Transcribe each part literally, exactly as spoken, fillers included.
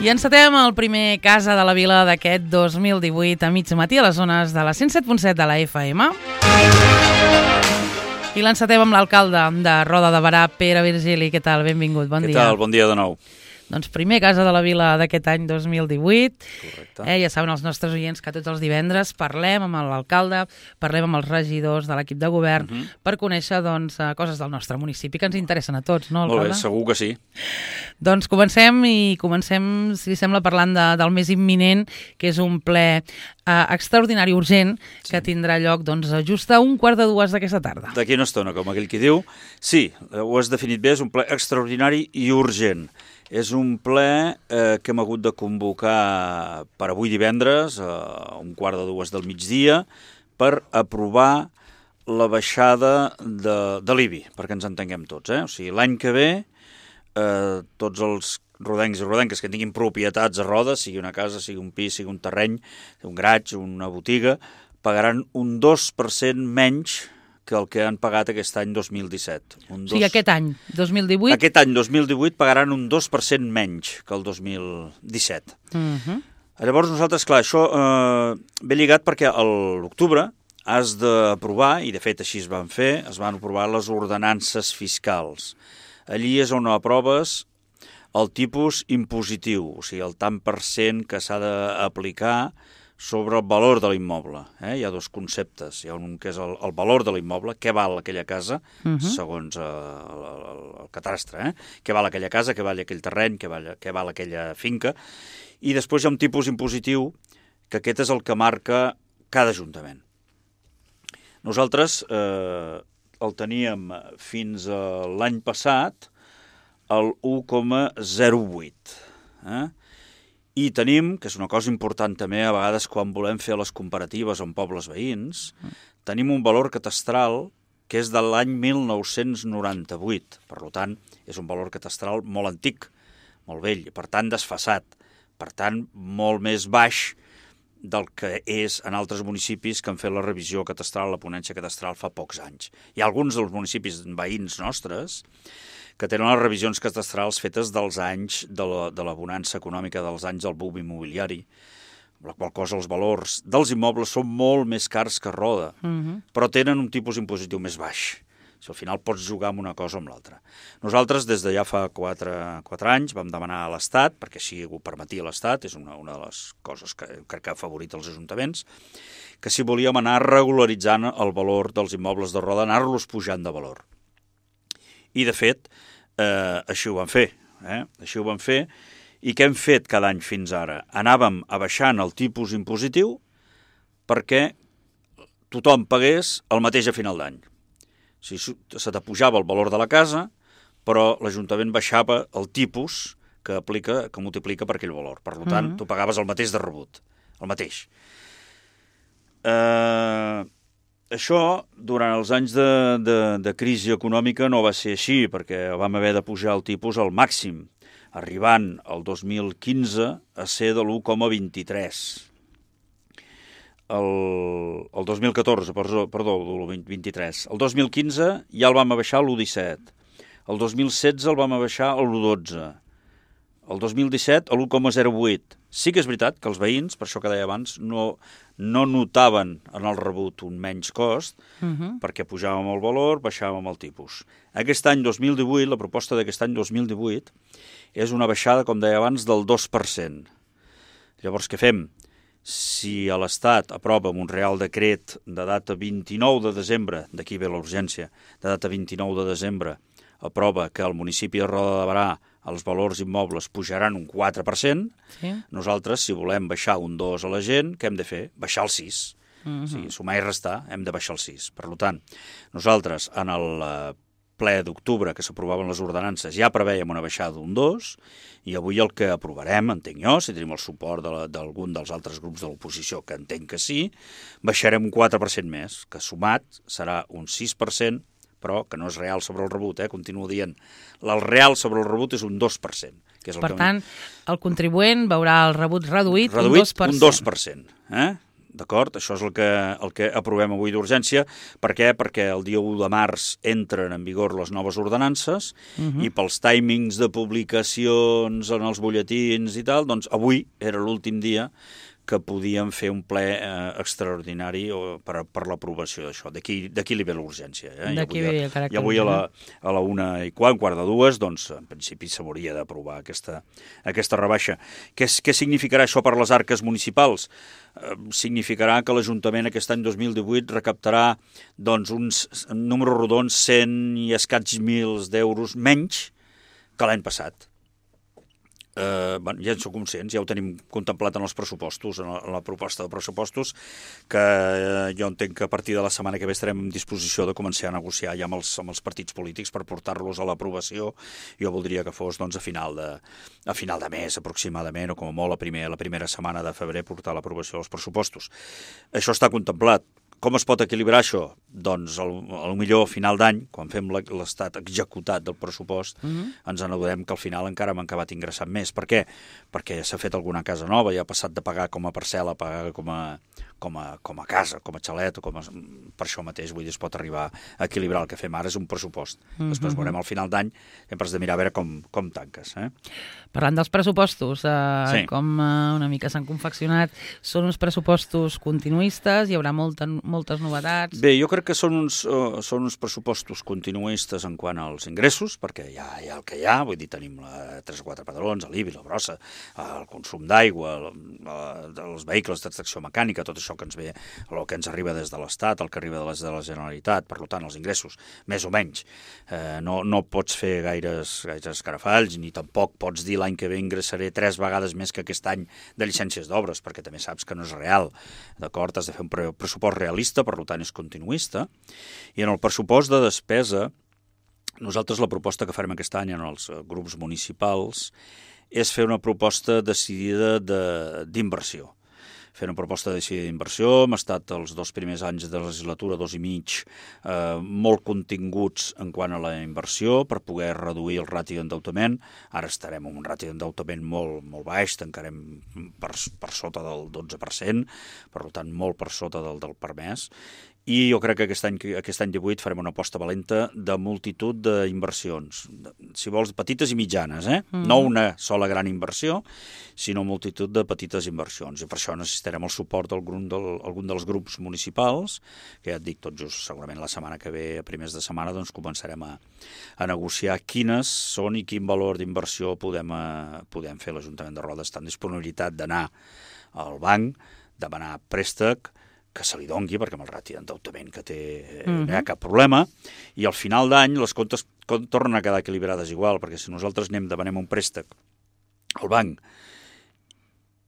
I encetem el primer Casa de la Vila d'aquest dos mil divuit a mig matí a les zones de la cent set punt set de la F M. I l'encetem amb l'alcalde de Roda de Berà, Pere Virgili. Què tal? Benvingut, bon dia. dia. Què tal? Bon dia de nou. Doncs primer Casa de la Vila d'aquest any dos mil divuit. Correcte. Eh, ja saben els nostres oients que tots els divendres parlem amb l'alcalde, parlem amb els regidors de l'equip de govern uh -huh. per conèixer doncs, coses del nostre municipi que ens interessen a tots, no, alcalde? Molt bé, segur que sí. Doncs comencem i comencem, si sembla, parlant de, del més imminent, que és un ple eh, extraordinari urgent sí. que tindrà lloc doncs, just a un quart de dues d'aquesta tarda. D'aquí una estona, com aquell qui diu. Sí, ho has definit bé, és un ple extraordinari i urgent. És un ple eh, que hem hagut de convocar per avui divendres, a un quart de dues del migdia, per aprovar la baixada de, de l'I B I, perquè ens entenguem tots. Eh? O sigui, l'any que ve, eh, tots els rodencs i rodenques que tinguin propietats a Roda, sigui una casa, sigui un pis, sigui un terreny, un garatge, una botiga, pagaran un dos per cent menys que el que han pagat aquest any dos mil disset. Un dos... O sigui, aquest any, dos mil divuit... Aquest any, dos mil divuit, pagaran un dos per cent menys que el dos mil disset. Uh-huh. Llavors, nosaltres, clar, això eh, ve lligat perquè a l'octubre has d'aprovar, i de fet així es van fer, es van aprovar les ordenances fiscals. Allí és on aproves el tipus impositiu, o sigui, el tant per cent que s'ha d'aplicar sobre el valor de l'immoble. Eh? Hi ha dos conceptes. Hi ha un que és el, el valor de l'immoble, què val aquella casa, uh-huh. segons eh, el, el, el catastre, eh? Què val aquella casa, què val aquell terreny, què val, què val aquella finca. I després hi ha un tipus impositiu, que aquest és el que marca cada ajuntament. Nosaltres eh, el teníem fins a l'any passat el u coma zero vuit. Eh? I tenim, que és una cosa important també, a vegades quan volem fer les comparatives amb pobles veïns, tenim un valor catastral que és de l'any mil nou-cents noranta-vuit. Per tant, és un valor catastral molt antic, molt vell, per tant desfasat, per tant molt més baix del que és en altres municipis que han fet la revisió catastral, la ponència catastral fa pocs anys. Hi ha alguns dels municipis veïns nostres que tenen les revisions catastrals fetes dels anys de la, de la bonança econòmica, dels anys del boom immobiliari, la qual cosa els valors dels immobles són molt més cars que Roda, uh-huh. però tenen un tipus impositiu més baix. Si al final pots jugar amb una cosa o amb l'altra. Nosaltres, des de ja fa quatre, quatre anys, vam demanar a l'Estat, perquè així ho permetia l'Estat, és una, una de les coses que crec que ha favorit els ajuntaments, que si volíem anar regularitzant el valor dels immobles de Roda, anar-los pujant de valor. I, de fet, eh, així ho vam fer. Eh? Així ho vam fer. I què hem fet cada any fins ara? Anàvem abaixant el tipus impositiu perquè tothom pagués el mateix a final d'any. O sigui, se t'apujava el valor de la casa, però l'Ajuntament baixava el tipus que aplica, que multiplica per aquell valor. Per tant, uh-huh. tu pagaves el mateix de rebut. El mateix. Eh... Això, durant els anys de, de, de crisi econòmica, no va ser així, perquè vam haver de pujar el tipus al màxim, arribant el dos mil quinze a ser de l'u coma vint-i-tres. El, el dos mil catorze, perdó, perdó el vint-i-tres. El dos mil quinze ja el vam abaixar a l'u coma disset. El dos mil setze el vam abaixar a l'u coma dotze. El dos mil disset a l'u coma zero vuit. Sí que és veritat que els veïns, per això que deia abans, no, no notaven en el rebut un menys cost, uh-huh. perquè pujàvem el valor, baixàvem el tipus. Aquest any dos mil divuit, la proposta d'aquest any dos mil divuit, és una baixada, com deia abans, del dos per cent. Llavors, què fem? Si a l'Estat aprova un Real Decret de data vint-i-nou de desembre, d'aquí ve la urgència, de data vint-i-nou de desembre, aprova que al municipi de Roda de Berà els valors immobles pujaran un quatre per cent, sí. Nosaltres, si volem baixar un dos a la gent, què hem de fer? Baixar el sis. Uh-huh. O sigui, sumar i restar, hem de baixar el sis. Per tant, nosaltres, en el ple d'octubre que s'aprovaven les ordenances, ja preveiem una baixada d'un dos, i avui el que aprovarem, entenc jo, si tenim el suport d'algun de dels altres grups de l'oposició, que entenc que sí, baixarem un quatre per cent més, que sumat serà un sis per cent, però que no és real sobre el rebut, eh? Continuo dient. El real sobre el rebut és un dos per cent. Que és el per que... tant, el contribuent veurà el rebut reduït, reduït un dos per cent. Un dos per cent. Eh? d'acord? Això és el que, el que aprovem avui d'urgència. Per què? Perquè el dia u de març entren en vigor les noves ordenances uh-huh. i pels timings de publicacions en els butlletins i tal, doncs avui era l'últim dia que podíem fer un ple eh, extraordinari per, per l'aprovació d'això. D'aquí li ve l'urgència. Eh? D'aquí ve el caràcter. I avui a la, a la una i quart, un quart de dues, doncs en principi s'hauria d'aprovar aquesta, aquesta rebaixa. Què, què significarà això per les arques municipals? Eh, significarà que l'Ajuntament aquest any dos mil divuit recaptarà doncs, uns números rodons cent i escaig mils d'euros menys que l'any passat. Uh, bueno, ja en som conscients, ja ho tenim contemplat en els pressupostos, en la, en la proposta de pressupostos, que uh, jo entenc que a partir de la setmana que ve estarem en disposició de començar a negociar ja amb els, amb els partits polítics per portar-los a l'aprovació. Jo voldria que fos doncs, a, final de, a final de mes aproximadament, o com a molt a primer, la primera setmana de febrer portar l'aprovació dels pressupostos. Això està contemplat. Com es pot equilibrar això? Doncs al, al millor a final d'any, quan fem l'estat executat del pressupost, uh-huh. ens adonem que al final encara hem acabat ingressant més. Per què? Perquè s'ha fet alguna casa nova i ha passat de pagar com a parcel·la a pagar com a, com a, com a casa, com a xalet, o com a... per això mateix, vull dir, es pot arribar a equilibrar. El que fem ara és un pressupost. Uh-huh. Després veurem al final d'any, sempre has de mirar a veure com, com tanques. Eh? Parlant dels pressupostos, eh, sí. com eh, una mica s'han confeccionat, són uns pressupostos continuistes, hi haurà molta, moltes novetats? Bé, jo crec que són uns, uh, són uns pressupostos continuistes en quant als ingressos, perquè hi ha, hi ha el que hi ha, vull dir, tenim la, tres o quatre padrons, l'I B I, la brossa, el consum d'aigua, els vehicles d'extracció mecànica, tot això que ens ve, el que ens arriba des de l'Estat, el que arriba des de la Generalitat, per tant, els ingressos, més o menys. Eh, no, no pots fer gaires, gaires escarafalls, ni tampoc pots dir l'any que ve ingressaré tres vegades més que aquest any de llicències d'obres, perquè també saps que no és real, d'acord? Has de fer un pressupost realista, per tant és continuista, i en el pressupost de despesa, nosaltres la proposta que farem aquest any en els grups municipals és fer una proposta decidida d'inversió. Fer una proposta decidida d'inversió, hem estat els dos primers anys de la legislatura, dos i mig, eh, molt continguts en quant a la inversió per poder reduir el ràtio d'endeutament. Ara estarem en un ràtio d'endeutament molt, molt baix, tancarem per, per sota del dotze per cent, per tant molt per sota del, del permès. I jo crec que aquest any, aquest any divuit farem una aposta valenta de multitud d'inversions, si vols, petites i mitjanes, eh? Mm. No una sola gran inversió, sinó multitud de petites inversions. I per això necessitarem el suport d'algun del, algun dels grups municipals, que ja et dic, tot just segurament la setmana que ve, a primers de setmana, doncs començarem a, a negociar quines són i quin valor d'inversió podem, a, podem fer l'Ajuntament de Roda. Està en disponibilitat d'anar al banc, demanar préstec, que se li dongui, perquè amb el ràtio d'endeutament que té mm-hmm. no hi ha cap problema, i al final d'any les comptes tornen a quedar equilibrades igual, perquè si nosaltres anem, demanem un préstec al banc,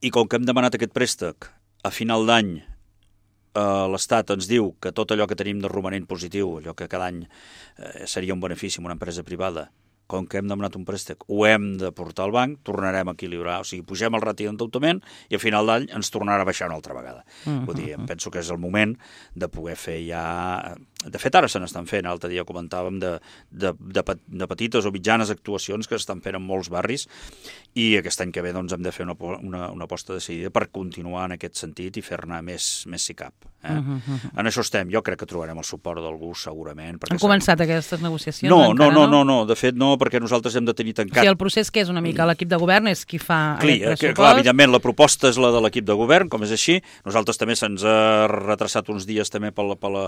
i com que hem demanat aquest préstec, a final d'any eh, l'Estat ens diu que tot allò que tenim de romanent positiu, allò que cada any eh, seria un benefici en una empresa privada, com que hem demanat un préstec, ho hem de portar al banc, tornarem a equilibrar, o sigui, pugem el ràtio d'endeutament i a final d'any ens tornarà a baixar una altra vegada. Uh-huh. Vull dir, em penso que és el moment de poder fer ja... De fet, ara se n'estan fent, l'altre dia comentàvem de, de, de, de petites o mitjanes actuacions que s'estan fent en molts barris i aquest any que ve doncs, hem de fer una, una, una aposta decidida per continuar en aquest sentit i fer-ne més, més si cap. Eh? Uh-huh. En això estem. Jo crec que trobarem el suport d'algú segurament. Han començat aquestes negociacions? No, no, no, no, no, de fet no, perquè nosaltres hem de tenir tancat... O sigui, el procés que és una mica l'equip de govern és qui fa Cli, aquest pressupost? Clar, evidentment, la proposta és la de l'equip de govern, com és així. Nosaltres també se'ns ha retrasat uns dies també per la, per la,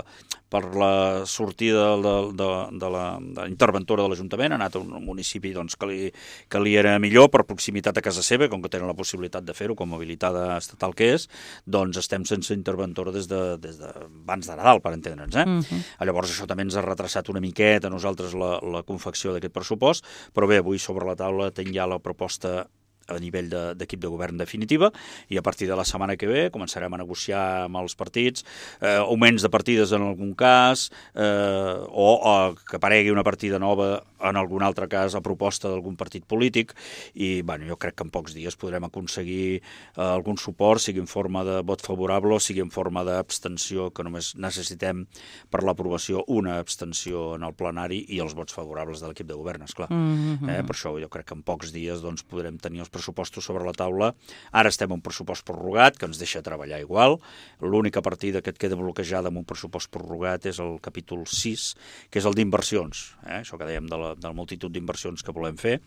per la sortida de, de, de, la, de la interventora de l'Ajuntament. Ha anat a un municipi doncs, que, li, que li era millor per proximitat a casa seva, com que tenen la possibilitat de fer-ho com a habilitada estatal que és, doncs estem sense interventora des de, des de abans de Nadal, per entendre'ns. Eh? Uh-huh. Llavors això també ens ha retrasat una miqueta a nosaltres la, la confecció d'aquest pressupost, però bé, avui sobre la taula tinc ja la proposta a nivell d'equip de, de govern definitiva i a partir de la setmana que ve començarem a negociar amb els partits eh, augments de partides en algun cas eh, o, o que aparegui una partida nova en algun altre cas a proposta d'algun partit polític i bueno, jo crec que en pocs dies podrem aconseguir eh, algun suport, sigui en forma de vot favorable o sigui en forma d'abstenció, que només necessitem per l'aprovació una abstenció en el plenari i els vots favorables de l'equip de govern, esclar. Mm-hmm. eh, per això jo crec que en pocs dies doncs, podrem tenir els pressupostos pressupostos sobre la taula. Ara estem en un pressupost prorrogat, que ens deixa treballar igual. L'única partida que et queda bloquejada amb un pressupost prorrogat és el capítol sis, que és el d'inversions, eh? Això que dèiem de la, de la multitud d'inversions que volem fer.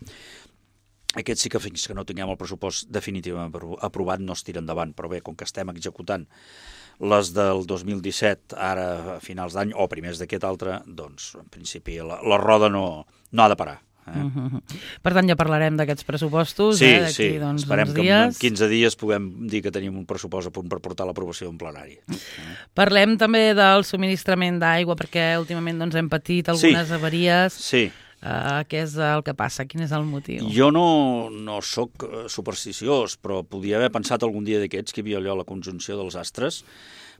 Aquest sí que fins que no tinguem el pressupost definitivament aprovat no es tira endavant, però bé, com que estem executant les del dos mil disset, ara a finals d'any, o primers d'aquest altre, doncs, en principi, la, la roda no, no ha de parar. Eh? Uh-huh. Per tant, ja parlarem d'aquests pressupostos, sí, eh, d'aquí sí. doncs, Esperem uns que dies. en quinze dies puguem dir que tenim un pressupost a punt per portar l'aprovació en plenari. Eh? Parlem també del subministrament d'aigua, perquè últimament doncs, hem patit algunes sí. avaries. Sí. Uh, què és el que passa? Quin és el motiu? Jo no, no sóc supersticiós, però podia haver pensat algun dia d'aquests que hi havia allò la conjunció dels astres,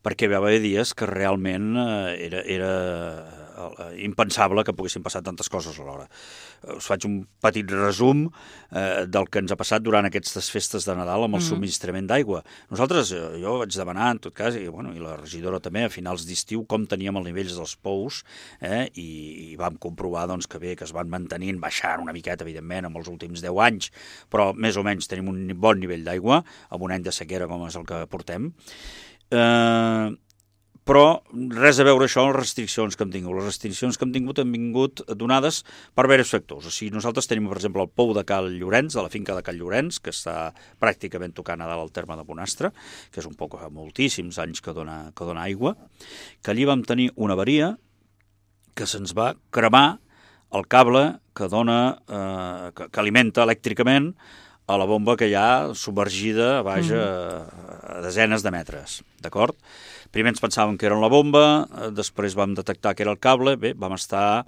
perquè hi va haver dies que realment eh, era, era eh, impensable que poguessin passar tantes coses alhora. Us faig un petit resum eh, del que ens ha passat durant aquestes festes de Nadal amb el mm. subministrament d'aigua. Nosaltres, eh, jo vaig demanar, en tot cas, i, bueno, i la regidora també, a finals d'estiu, com teníem els nivells dels pous, eh, i, i vam comprovar doncs, que bé, que es van mantenint, baixant una miqueta, evidentment, amb els últims deu anys, però més o menys tenim un bon nivell d'aigua, amb un any de sequera com és el que portem. Eh, però res a veure això amb les restriccions que hem tingut. Les restriccions que hem tingut han vingut donades per diversos factors. O sigui, nosaltres tenim, per exemple, el pou de Cal Llorenç, de la finca de Cal Llorenç, que està pràcticament tocant a dalt al terme de Bonastre, que és un pou que fa moltíssims anys que dona, que dona aigua, que allí vam tenir una avaria que se'ns va cremar el cable que dona, eh, que, que alimenta elèctricament a la bomba que hi ha submergida a baix a, a desenes de metres, d'acord? Primer ens pensàvem que era la bomba, després vam detectar que era el cable, bé, vam estar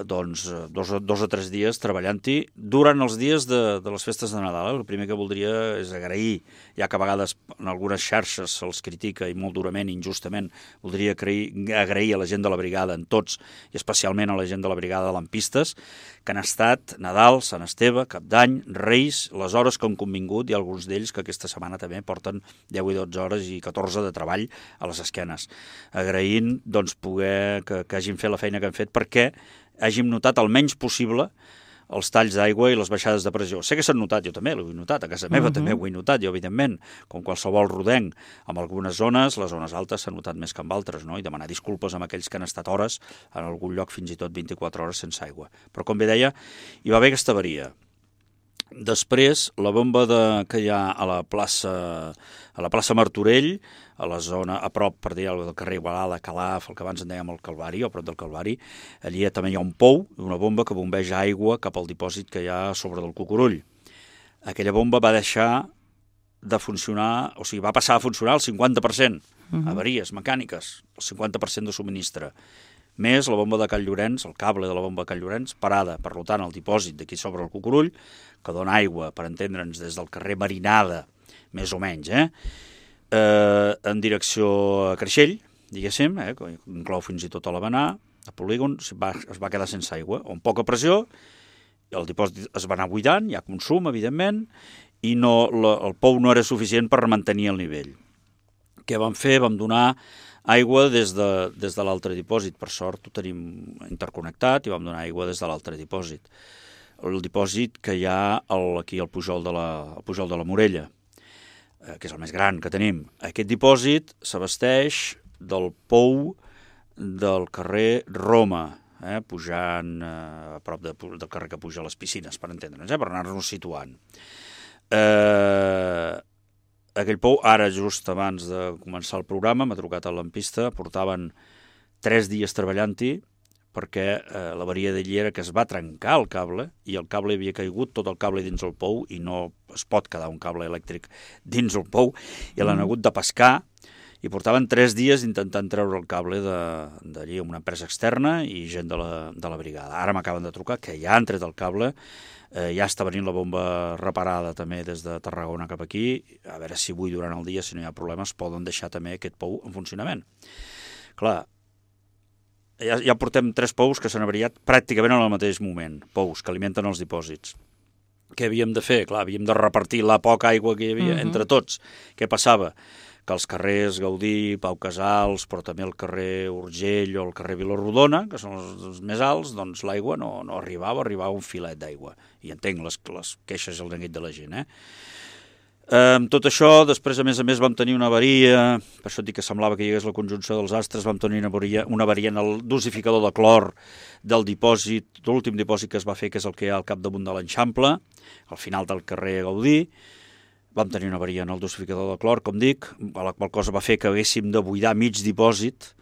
doncs, dos, dos o tres dies treballant-hi durant els dies de, de les festes de Nadal. El primer que voldria és agrair, ja que a vegades en algunes xarxes se'ls critica i molt durament, injustament, voldria agrair, agrair a la gent de la brigada, en tots, i especialment a la gent de la brigada de lampistes, que han estat Nadal, Sant Esteve, Cap d'Any, Reis, les hores que han convingut, i alguns d'ells que aquesta setmana també porten deu i dotze hores i catorze de treball a les esquenes. Agraint doncs, poder que, que hagin fet la feina que han fet perquè hàgim notat el menys possible els talls d'aigua i les baixades de pressió. Sé que s'han notat, jo també l'ho he notat, a casa meva uh-huh. també ho he notat, jo evidentment, com qualsevol rodenc. En algunes zones, les zones altes s'han notat més que en altres, no? I demanar disculpes amb aquells que han estat hores, en algun lloc fins i tot vint-i-quatre hores sense aigua. Però com bé deia, hi va haver aquesta avaria. Després, la bomba de, que hi ha a la plaça, a la plaça Martorell, a la zona, a prop, per dir del carrer Igualada, Calaf, el que abans en dèiem el Calvari, o a prop del Calvari, allí també hi ha un pou, una bomba que bombeja aigua cap al dipòsit que hi ha sobre del Cucurull. Aquella bomba va deixar de funcionar, o sigui, va passar a funcionar el cinquanta per cent, uh-huh. avaries mecàniques, el cinquanta per cent de subministre, més la bomba de Cal Llorenç, el cable de la bomba de Cal Llorenç, parada, per tant, el dipòsit d'aquí sobre el Cucurull, que dona aigua, per entendre'ns, des del carrer Marinada, més o menys, eh? Eh, en direcció a Creixell, diguéssim, eh? Que inclou fins i tot a l'Havanà, a Polígon, es va, es va quedar sense aigua, amb poca pressió, el dipòsit es va anar buidant, hi ha consum, evidentment, i no, la, el pou no era suficient per mantenir el nivell. Què vam fer? Vam donar aigua des de, des de l'altre dipòsit. Per sort ho tenim interconnectat i vam donar aigua des de l'altre dipòsit. El dipòsit que hi ha el, aquí al Pujol de la, al Pujol de la Morella, eh, que és el més gran que tenim. Aquest dipòsit s'abasteix del pou del carrer Roma, eh, pujant eh, a prop de, del carrer que puja a les piscines, per entendre'ns, eh, per anar-nos situant. Eh, aquell pou, ara just abans de començar el programa, m'ha trucat a l'ampista, portaven tres dies treballant-hi, perquè eh, l'avaria d'allí era que es va trencar el cable i el cable havia caigut, tot el cable dins el pou, i no es pot quedar un cable elèctric dins el pou, i l'han hagut de pescar, i portaven tres dies intentant treure el cable d'allí amb una empresa externa i gent de la, de la brigada. Ara m'acaben de trucar que ja han tret el cable, eh, ja està venint la bomba reparada també des de Tarragona cap aquí, a veure si avui durant el dia, si no hi ha problemes, poden deixar també aquest pou en funcionament. Clar, ja, ja portem tres pous que s'han avariat pràcticament en el mateix moment, pous que alimenten els dipòsits. Què havíem de fer? Clar, havíem de repartir la poca aigua que hi havia uh-huh. entre tots. Què passava? que els carrers Gaudí, Pau Casals, però també el carrer Urgell o el carrer Vilarrodona, que són els, els més alts, doncs l'aigua no, no arribava, arribava un filet d'aigua. I entenc les, les queixes i el neguit de la gent, eh? Eh, amb tot això, després, a més a més, vam tenir una avaria, per això et dic que semblava que hi hagués la conjunció dels astres, vam tenir una avaria, una avaria en el dosificador de clor del dipòsit, de l'últim dipòsit que es va fer, que és el que hi ha al capdamunt de l'Eixample, al final del carrer Gaudí. Vam tenir una avaria en el dosificador de clor, com dic, la qual cosa va fer que haguéssim de buidar mig dipòsit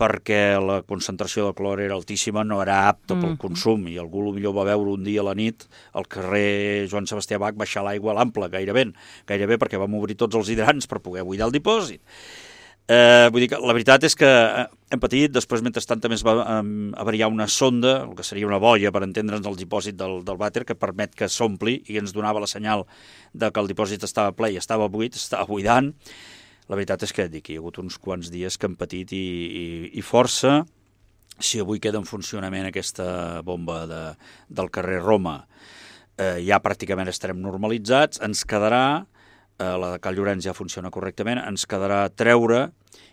perquè la concentració de clor era altíssima, no era apta pel consum, i algú potser va veure un dia a la nit al carrer Joan Sebastià Bach baixar l'aigua a l'ample, gairebé, gairebé perquè vam obrir tots els hidrants per poder buidar el dipòsit. Eh, vull dir que la veritat és que hem patit, després mentrestant també es va um, avariar una sonda, el que seria una boia per entendre'ns el dipòsit del, del vàter, que permet que s'ompli i ens donava la senyal de que el dipòsit estava ple i estava buit, estava buidant. La veritat és que dic, hi ha hagut uns quants dies que hem patit i, i, i força. Si avui queda en funcionament aquesta bomba de, del carrer Roma, eh, ja pràcticament estarem normalitzats, ens quedarà, eh, la de Cal Llorenç ja funciona correctament, ens quedarà treure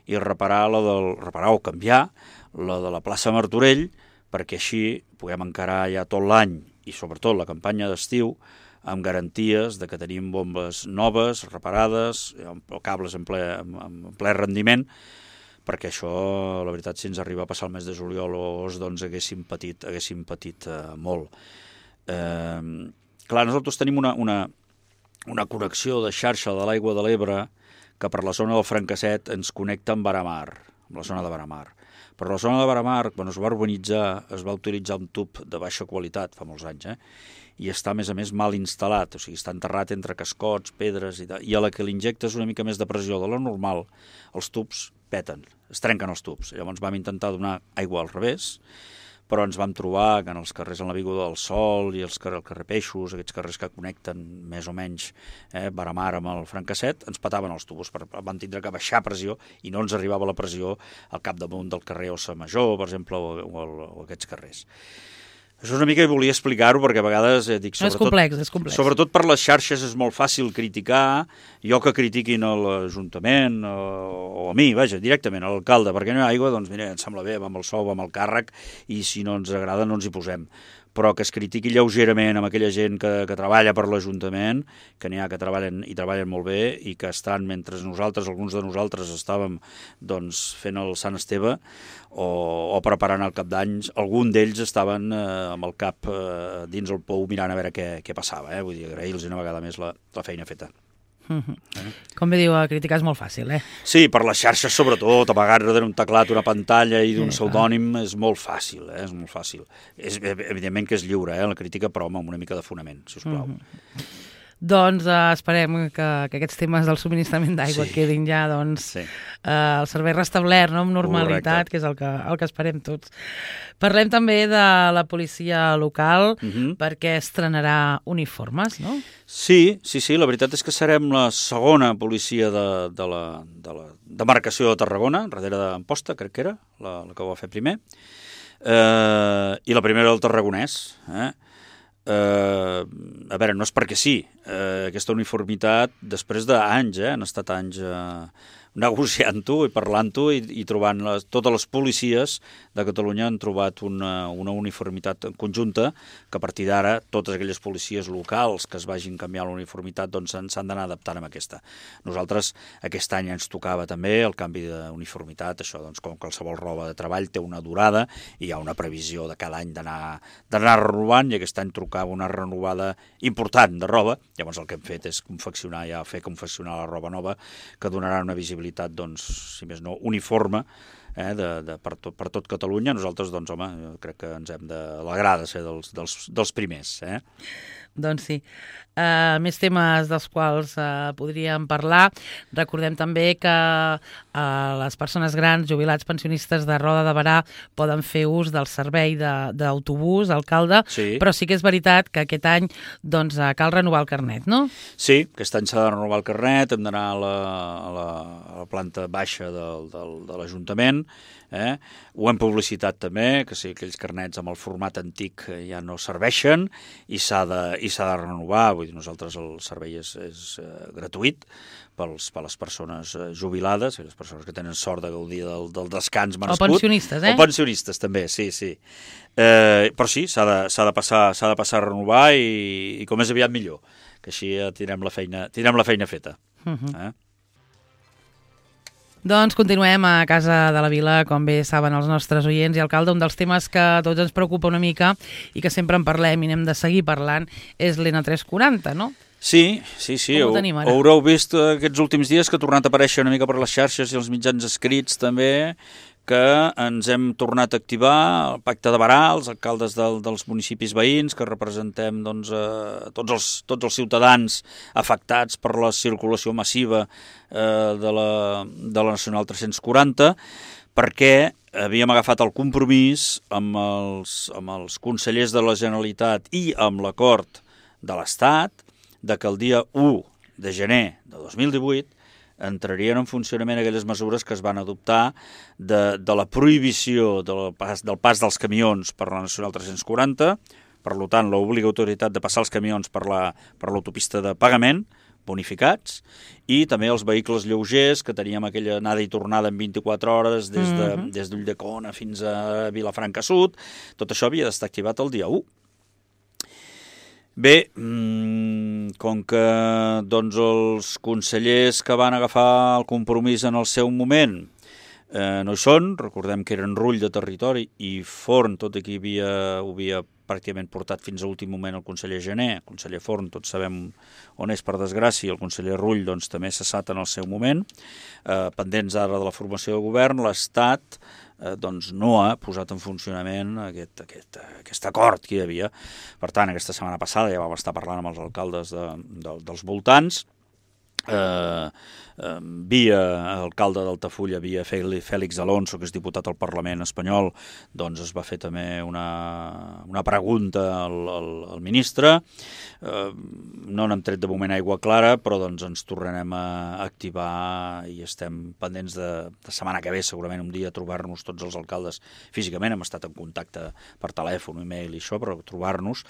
i reparar la del, reparar o canviar la de la plaça Martorell, perquè així puguem encarar ja tot l'any i sobretot la campanya d'estiu amb garanties de que tenim bombes noves, reparades, o cables en ple, en ple rendiment, perquè això, la veritat, si ens arriba a passar el mes de juliol o agost, doncs haguéssim patit, haguéssim patit eh, molt. Eh, clar, nosaltres tenim una, una, una connexió de xarxa de l'aigua de l'Ebre que per la zona del Francasset ens connecta amb Baramar, amb la zona de Baramar. Per la zona de Baramar, quan es va urbanitzar, es va utilitzar un tub de baixa qualitat, fa molts anys, eh? I està, a més a més, mal instal·lat, o sigui, està enterrat entre cascots, pedres i tal, i a la que li injectes una mica més de pressió de la normal, els tubs peten, es trenquen els tubs. Llavors vam intentar donar aigua al revés, però ens vam trobar que en els carrers en l'Avinguda del Sol i els carrer, el carrer Peixos, aquests carrers que connecten més o menys eh, Baramar amb el Francasset, ens petaven els tubos, per, van tindre que baixar pressió i no ens arribava la pressió al capdamunt del carrer Ossa Major, per exemple, o, o, o aquests carrers. Això és una mica que volia explicar-ho, perquè a vegades eh, dic... Sobretot, és complex, és complex. Sobretot per les xarxes és molt fàcil criticar, jo que critiquin a l'Ajuntament o, o a mi, vaja, directament a l'alcalde, perquè no hi ha aigua, doncs mira, ens sembla bé, va amb el sou, va amb el càrrec, i si no ens agrada no ens hi posem. Però que es critiqui lleugerament amb aquella gent que, que treballa per l'Ajuntament, que n'hi ha que treballen i treballen molt bé i que estan, mentre nosaltres, alguns de nosaltres, estàvem doncs, fent el Sant Esteve o, o preparant el cap d'any, algun d'ells estaven eh, amb el cap eh, dins el pou mirant a veure què, què passava. Eh? Vull dir, agrair-los una vegada més la, la feina feta. Uh-huh. Eh? Com bé diu, criticar és molt fàcil, eh? Sí, per les xarxes sobretot, amagar darrere un teclat, una pantalla i d'un sí, pseudònim és molt fàcil, eh? És molt fàcil. És, evidentment que és lliure, eh? La crítica, però amb una mica de fonament, si us plau. Uh-huh. Doncs uh, esperem que, que aquests temes del subministrament d'aigua sí. quedin ja, doncs, sí. uh, el servei restablert, no?, amb normalitat, Correcte. Que és el que, el que esperem tots. Parlem també de la policia local, uh-huh. perquè estrenarà uniformes, no? Sí, sí, sí, la veritat és que serem la segona policia de, de la, de la demarcació de Tarragona, darrere d'Amposta, crec que era, la, la que ho va fer primer, eh, i la primera del Tarragonès, eh? Uh, a veure, no és perquè sí, uh, aquesta uniformitat, després d'anys, eh, han estat anys uh, negociant-ho i parlant-ho i, i trobant les, totes les policies de Catalunya han trobat una, una uniformitat conjunta que a partir d'ara totes aquelles policies locals que es vagin canviar la uniformitat doncs s'han d'anar adaptant amb aquesta. Nosaltres aquest any ens tocava també el canvi d'uniformitat, això doncs com qualsevol roba de treball té una durada i hi ha una previsió de cada any d'anar d'anar renovant i aquest any tocava una renovada important de roba, llavors el que hem fet és confeccionar ja fer confeccionar la roba nova que donarà una visibilitat doncs, si més no, uniforme eh, de, de, per, tot, per tot Catalunya. Nosaltres, doncs, home, jo crec que ens hem d'alegrar de ser dels, dels, dels primers. Eh? Doncs sí. Uh, més temes dels quals uh, podríem parlar. Recordem també que uh, les persones grans, jubilats, pensionistes de Roda de Berà poden fer ús del servei d'autobús, alcalde, sí. Però sí que és veritat que aquest any doncs, uh, cal renovar el carnet, no? Sí, aquest any s'ha de renovar el carnet, hem d'anar a, la, a, la, a la planta baixa del, del, de l'Ajuntament Eh? Ho hem publicitat també, que sí, aquells carnets amb el format antic ja no serveixen i s'ha de, i s'ha de renovar. Vull dir, nosaltres el servei és, és uh, gratuït pels, per les persones uh, jubilades, les persones que tenen sort de gaudir del, del descans merescut. O pensionistes, eh? O pensionistes, també, sí, sí. Eh, però sí, s'ha de, s'ha de, passar, s'ha de passar a renovar i, i com més aviat millor, que així ja tindrem la feina, tindrem la feina feta. Uh-huh. Eh? Doncs continuem a Casa de la Vila, com bé saben els nostres oients, i alcalde, un dels temes que a tots ens preocupa una mica i que sempre en parlem i n'hem de seguir parlant és l'N tres quaranta, no? Sí, sí, sí. Com ho tenim ara? Haureu vist aquests últims dies que ha tornat a aparèixer una mica per les xarxes i els mitjans escrits també, que ens hem tornat a activar el Pacte de Berà, els alcaldes del, dels municipis veïns, que representem doncs, eh, tots, els, tots els ciutadans afectats per la circulació massiva eh, de, la, de la Nacional tres-cents quaranta, perquè havíem agafat el compromís amb els, amb els consellers de la Generalitat i amb l'acord de l'Estat de que el dia u de gener de dos mil divuit entrarien en funcionament aquelles mesures que es van adoptar de, de la prohibició del pas, del pas dels camions per la Nacional tres-cents quaranta, per tant, l'obligatorietat de passar els camions per la, per l'autopista de pagament, bonificats, i també els vehicles lleugers, que teníem aquella anada i tornada en vint-i-quatre hores des de, mm-hmm. des d'Ulldecona fins a Vilafranca Sud. Tot això havia d'estar activat el dia u. Bé, com que doncs, els consellers que van agafar el compromís en el seu moment eh, no hi són, recordem que eren Rull de Territori i Forn, tot aquí havia, ho havia pràcticament portat fins a l'últim moment el conseller Gené, el conseller Forn, tots sabem on és per desgràcia, el conseller Rull doncs, també cessat en el seu moment, eh, pendents ara de la formació de govern, l'Estat Eh, doncs no ha posat en funcionament aquest, aquest, aquest acord que hi havia. Per tant, aquesta setmana passada ja vam estar parlant amb els alcaldes de, de, dels voltants, eh, eh, via alcalde d'Altafulla, via Fèlix Alonso, que és diputat al Parlament espanyol, doncs es va fer també una, una pregunta al, al, al ministre. Eh, no n'hem tret de moment aigua clara, però doncs ens tornarem a activar i estem pendents de, de setmana que ve, segurament un dia, trobar-nos tots els alcaldes físicament. Hem estat en contacte per telèfon, e-mail i això, però trobar-nos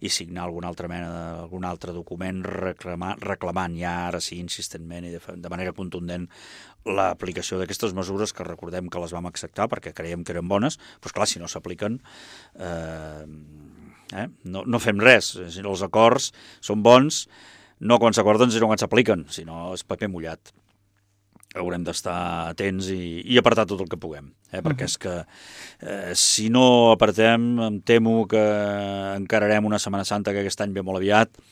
i signar alguna altra mena d'algun altre document reclamar, reclamant ja ara sí insistentment i de, de manera contundent l'aplicació d'aquestes mesures, que recordem que les vam acceptar perquè creiem que eren bones, però esclar, si no s'apliquen eh, eh, no, no fem res. Els acords són bons no quan s'acorden sinó quan s'apliquen, si no és paper mullat. Haurem d'estar atents i, i apretar tot el que puguem, eh? Perquè és que eh, si no apretem em temo que encararem una Setmana Santa que aquest any ve molt aviat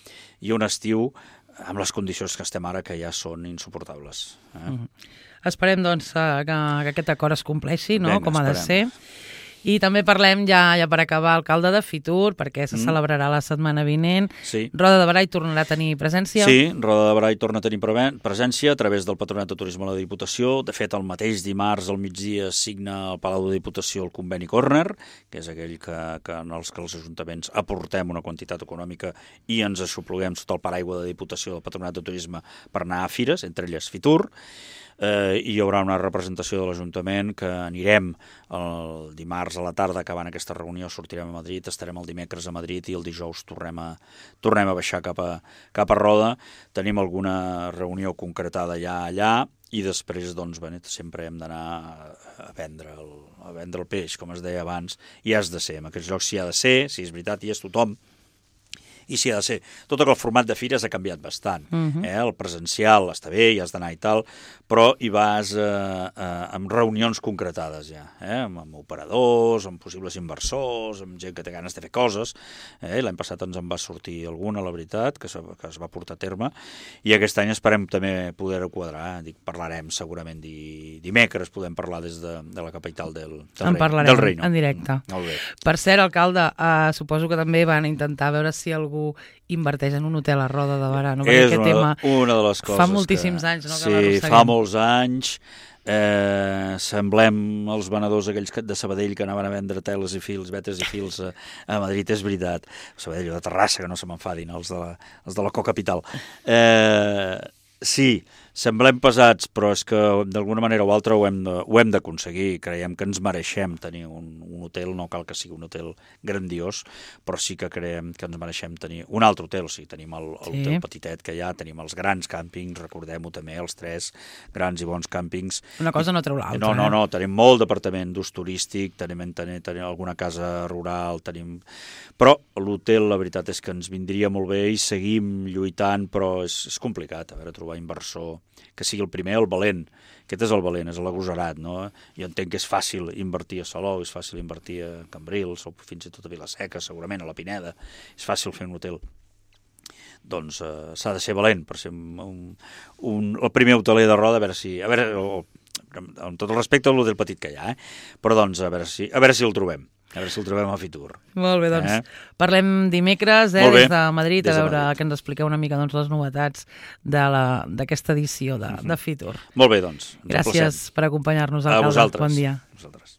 i un estiu amb les condicions que estem ara, que ja són insuportables. Eh? Mm-hmm. Esperem, doncs, que, que aquest acord es compleixi, no? Venga, com ha de esperem. ser. I també parlem, ja ja per acabar, alcalde de Fitur, perquè se Mm. celebrarà la setmana vinent. Sí. Roda de Berà hi tornarà a tenir presència? Sí, Roda de Berà hi torna a tenir presència a través del Patronat de Turisme de la Diputació. De fet, el mateix dimarts al migdia signa al Palau de Diputació el conveni Corner, que és aquell que, que en els que els ajuntaments aportem una quantitat econòmica i ens aixopluguem sota el paraigua de Diputació del Patronat de Turisme per anar a fires, entre elles Fitur. Eh, i hi haurà una representació de l'Ajuntament que anirem el dimarts a la tarda, acabant aquesta reunió sortirem a Madrid, estarem el dimecres a Madrid i el dijous tornem a, tornem a baixar cap a, cap a Roda. Tenim alguna reunió concretada ja allà i després doncs, bé, sempre hem d'anar a vendre, el, a vendre el peix, com es deia abans, i has de ser, en aquests llocs s'hi ha de ser, si és veritat, hi és tothom, i s'hi ha de ser. Tot el format de fires ha canviat bastant. Uh-huh. eh? El presencial està bé, hi has d'anar i tal, però hi vas eh, eh, amb reunions concretades ja, eh? amb, amb operadors, amb possibles inversors, amb gent que té ganes de fer coses. Eh? L'any passat ens en va sortir alguna, la veritat, que, que es va portar a terme, i aquest any esperem també poder-ho quadrar. Dic, parlarem segurament di, dimecres, podem parlar des de, de la capital del, del, en rei, del reino. En directe. Mm, molt bé. Per cert, alcalde, eh, suposo que també van intentar veure si algú inverteix en un hotel a Roda de Berà, no? És una, tema una de les coses fa moltíssims que, anys, no? Sí, que fa molts anys. Eh, semblem els venedors aquells de Sabadell que anaven a vendre teles i fils, vetes i fils a, a Madrid, és veritat. Sabadell o de Terrassa, que no se m'enfadin, els de la, els de la cocapital. Eh, Sí, semblem pesats, però és que d'alguna manera o altra ho hem de- ho hem d'aconseguir. Creiem que ens mereixem tenir un, un hotel, no cal que sigui un hotel grandiós, però sí que creiem que ens mereixem tenir un altre hotel. O sigui, tenim el, el Sí. hotel petitet que hi ha, tenim els grans càmpings, recordem-ho també, els tres grans i bons càmpings. Una cosa no treu l'altra. No, no, eh? no, tenim molt d'apartament d'ús turístic, tenim, tenim, tenim alguna casa rural, tenim... Però l'hotel, la veritat és que ens vindria molt bé i seguim lluitant, però és, és complicat, a veure, trobar inversor que sigui el primer, el valent. Aquest és el valent, és l'agosarat, no? Jo entenc que és fàcil invertir a Salou, és fàcil invertir a Cambrils, o fins i tot a Vila-seca, segurament, a la Pineda. És fàcil fer un hotel. Doncs eh, s'ha de ser valent per ser un, un, un, el primer hoteler de Roda, a veure si... A veure, o, amb tot el respecte a l'hotel petit que hi ha, eh? Però doncs a veure si, a veure si el trobem. A veure si el trobem a Fitur. Molt bé, doncs Eh? parlem dimecres eh, Molt bé. des de Madrid, Des a de veure Madrid. que ens expliqueu una mica doncs, les novetats de la- d'aquesta edició de, de Fitur. Molt bé, doncs. Ens Gràcies emplacem. per acompanyar-nos, A alcalde. vosaltres. Bon dia. A vosaltres.